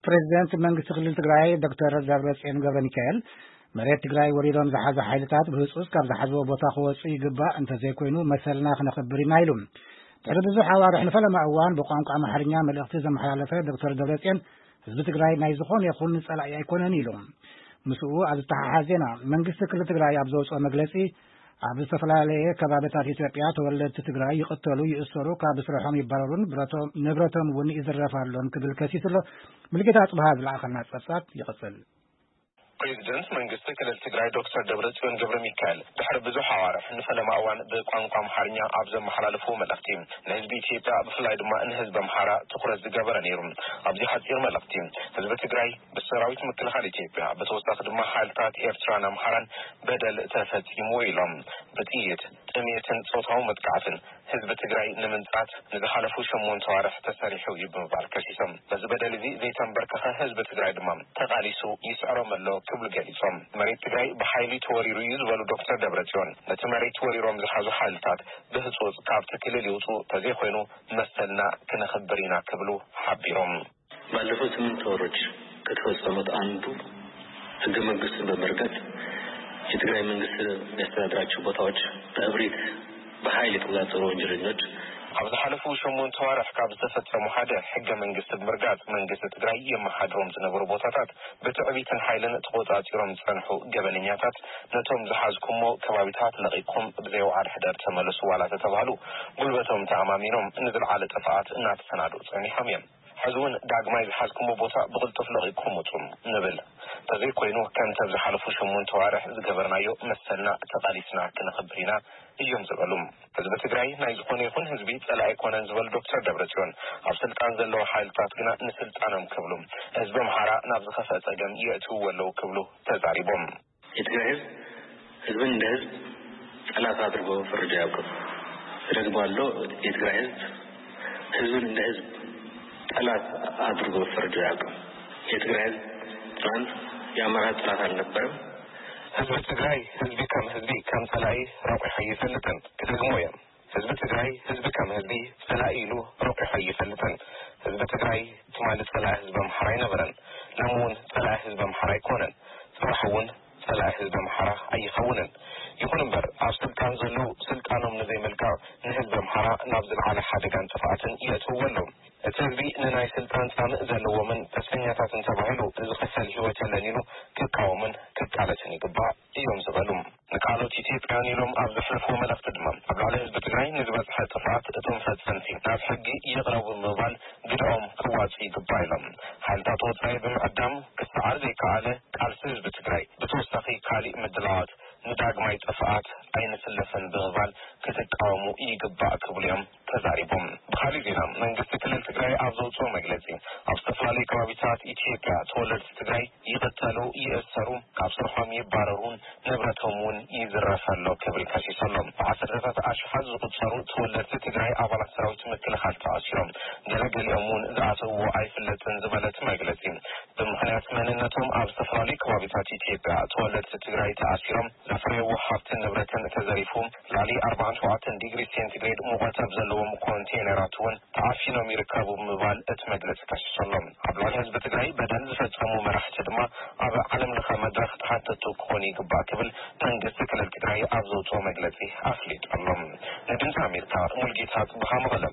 ፕሬዚደንት መንግስቲ ክልል ትግራይ ዶክተር ደብረጽዮን ገብረ ሚካኤል፣ መሬት ትግራይ ወሪሮም ዝሓዙ ሓይልታት ብህጹጽ ካብ ዝሓዝዎ ቦታ ክወጹ ይግባእ፣ እንተዘይኮይኑ መሰልና ክነኽብር ኢና ኢሉ። ድሕሪ ብዙሕ ኣዋርሕ ንፈለማ እዋን ብቋንቋ ኣምሓርኛ መልእኽቲ ዘመሓላለፈ ዶክተር ደብረጽዮን፣ ህዝቢ ትግራይ ናይ ዝኾነ ይኹን ጸላኢ ኣይኮነን ኢሉ። ምስኡ ኣብ ዝተሓሓዝ ዜና፣ መንግስቲ ክልል ትግራይ ኣብ ዘውፅኦ መግለጺ፣ ኣብ ዝተፈላለየ ከባቢታት ኢትዮጵያ ተወለድቲ ትግራይ ይቕተሉ፣ ይእሰሩ፣ ካብ ስርሖም ይባረሩን ብረቶም፣ ንብረቶም እውን ይዝረፍ ኣሎን ክብል ከሲሱ ኣሎ። ሙልጌታ ኣጽብሃ ዝለኣኸልና ጸብጻብ ይቕጽል። ፕሬዚደንት መንግስቲ ክልል ትግራይ ዶክተር ደብረጽዮን ገብረ ሚካኤል ድሕሪ ብዙሕ ኣዋርሕ ንፈለማ እዋን ብቋንቋ ኣምሓርኛ ኣብ ዘመሓላለፍዎ መልእኽቲ፣ ንህዝቢ ኢትዮጵያ ብፍላይ ድማ ንህዝቢ ኣምሓራ ትኹረት ዝገበረ ነይሩ። ኣብዚ ሓጺር መልእኽቲ፣ ህዝቢ ትግራይ ብሰራዊት ምክልኻል ኢትዮጵያ፣ ብተወሳኺ ድማ ሓይልታት ኤርትራን ኣምሓራን በደል ተፈጺምዎ ኢሎም። ብጥይት፣ ጥሜትን ጾታዊ መጥቃዕትን ህዝቢ ትግራይ ንምንጻት ንዝሓለፉ ሸሞንተ ኣዋርሕ ተሰሪሑ እዩ ብምባል ከሲሶም። በዚ በደል እዚ ዘይተንበርከኸ ህዝቢ ትግራይ ድማ ተቓሊሱ ይስዕሮም ኣሎ ክብሉ ገሊጾም። መሬት ትግራይ ብሓይሊ ተወሪሩ እዩ ዝበሉ ዶክተር ደብረጽዮን፣ ነቲ መሬት ወሪሮም ዝሓዙ ሓይልታት ብህጹጽ ካብቲ ክልል ይውጹ፣ ተዘይኮይኑ መሰልና ክነኽብር ኢና ክብሉ ሓቢሮም። ባለፉት ስምንት ወሮች ከተፈጸሙት አንዱ ህገ መንግስቱን በመርገጥ የትግራይ መንግስት የሚያስተዳድራቸው ቦታዎች በእብሪት በኃይል የተቆጣጠሩ ወንጀለኞች፣ ኣብ ዝሓለፉ ሸሞንተ ዋርሕ ካብ ዝተፈጸሙ ሓደ፣ ሕገ መንግስቲ ብምርጋጽ መንግስቲ ትግራይ የመሓድሮም ዝነበሩ ቦታታት ብትዕቢትን ሓይልን ተቆጻጺሮም ዝጸንሑ ገበነኛታት፣ ነቶም ዝሓዝኩሞ ከባቢታት ለቒቕኩም ብዘይ ወዓል ሕደር ተመለሱ ዋላ ተተባህሉ፣ ጉልበቶም ተኣማሚኖም ንዝለዓለ ጥፍኣት እናተሰናድኡ ጸኒሖም እዮም። ሕዚ እውን ዳግማይ ዝሓዝኩሞ ቦታ ብቕልጡፍ ለቒቕኩም ውጹ ንብል። እንተዘይኮይኑ፣ ከምቲ ኣብ ዝሓለፉ ሸሞንተ ዋርሕ ዝገበርናዮ መሰልና ተቓሊስና ክነኽብር ኢና እዮም ዝበሉ። ህዝቢ ትግራይ ናይ ዝኾነ ይኹን ህዝቢ ጸላኢ ኣይኮነን ዝበሉ ዶክተር ደብረጽዮን፣ ኣብ ስልጣን ዘለዉ ሓይልታት ግና ንስልጣኖም ክብሉ ህዝቢ ኣምሓራ ናብ ዝኸፍአ ጸገም የእትውዎ ኣለዉ ክብሉ ተዛሪቦም። የትግራይ ህዝብ ህዝብን እንደ ህዝብ ጠላት አድርጎ ፈርጆ አያውቅም። እደግመዋለሁ፣ የትግራይ ህዝብ ህዝብን እንደ ህዝብ ጠላት አድርጎ ፈርጆ አያውቅም። የትግራይ ህዝብ ትናንት የአማራ ጠላት አልነበረም። ህዝቢ ትግራይ ህዝቢ ከም ህዝቢ ከም ጸላኢ ረቂሑ ኣይፈልጥን። ክደግሞ እየ። ህዝቢ ትግራይ ህዝቢ ከም ህዝቢ ጸላኢ ኢሉ ረቂሑ ኣይፈልጥን። ህዝቢ ትግራይ ትማሊ ጸላኢ ህዝቢ ኣምሓራ ኣይነበረን። ሎሚ እውን ጸላኢ ህዝቢ ኣምሓራ ኣይኮነን። ጽባሕ እውን ጸላኢ ህዝቢ ኣምሓራ ኣይኸውንን። ይኹን እምበር፣ ኣብ ስልጣን ዘለዉ ስልጣኖም ንዘይምልቃቕ ንህዝቢ ኣምሓራ ናብ ዝለዓለ ሓደጋን ጥፍኣትን የእትውዎ ኣለዉ። እቲ ህዝቢ ንናይ ስልጣን ጻምእ ዘለዎምን ተስፈኛታትን ተባሂሉ ዝኽፈል ህይወት የለን ኢሉ ክቃወምን ክቃለስን ይግባእ እዮም ዝበሉ። ንቃሎት ኢትዮጵያውያን ኢሎም ኣብ ዘሕለፍዎ መልእኽቲ ድማ፣ ኣብ ልዕሊ ህዝቢ ትግራይ ንዝበጽሐ ጥፍኣት እቶም ፈጸምቲ ናብ ሕጊ ይቕረቡ ብምባል ግደኦም ክዋጽኡ ይግባእ ኢሎም። ሓይልታት ወጻኢ ብምዕዳም ክሰዓር ዘይከኣለ ቃልሲ ህዝቢ ትግራይ፣ ብተወሳኺ ካሊእ ምድላዋት ንዳግማይ ጥፍኣት ኣይንስለፍን ብምባል ክትቃወሙ ይግባእ ክብሉ እዮም ተዛሪቦም። ብኻሊእ ዜና፣ መንግስቲ ክልል ትግራይ ኣብ ዘውፅኦ መግለፂ፣ ኣብ ዝተፈላለዩ ከባቢታት ኢትዮጵያ ተወለድቲ ትግራይ ይቕተሉ፣ ይእሰሩ፣ ካብ ስርሖም ይባረሩን ንብረቶም እውን ይዝረፍ ኣሎ ክብል ከሲሱ ኣሎ። ብዓሰርተታት ኣሽሓት ዝቑጸሩ ተወለድቲ ትግራይ ኣባላት ሰራዊት ምክልኻል ተኣሲሮም፣ ገለገሊኦም እውን ዝኣተውዎ ኣይፍለጥን ዝበለ እቲ መግለፂ፣ ብምኽንያት መንነቶም ኣብ ዝተፈላለዩ ከባቢታት ኢትዮጵያ ተወለድቲ ትግራይ ተኣሲሮም፣ ዘፍረይዎ ሃብትን ንብረትን ተዘሪፉ፣ ልዕሊ ኣርባዓን ሸውዓተን ዲግሪ ሴንቲግሬድ ሙቐት ኣብ ዘለዎም ኮንቴነራት እውን ተዓፊኖም ይርከቡ ብምባል እቲ መግለጺ ከሲሱ ኣሎ። ኣብ ልዕሊ ህዝቢ ትግራይ በደል ዝፈጸሙ መራሕቲ ድማ ኣብ ዓለም ለኸ መድረኽ ተሓተትቲ ክኾኑ ይግባእ ክብል መንግስቲ ክልል ትግራይ ኣብ ዘውፅኦ መግለጺ ኣፍሊጡ ኣሎ። ንድምፂ ኣሜሪካ ሙልጌታ ጽብሃ መቐለ።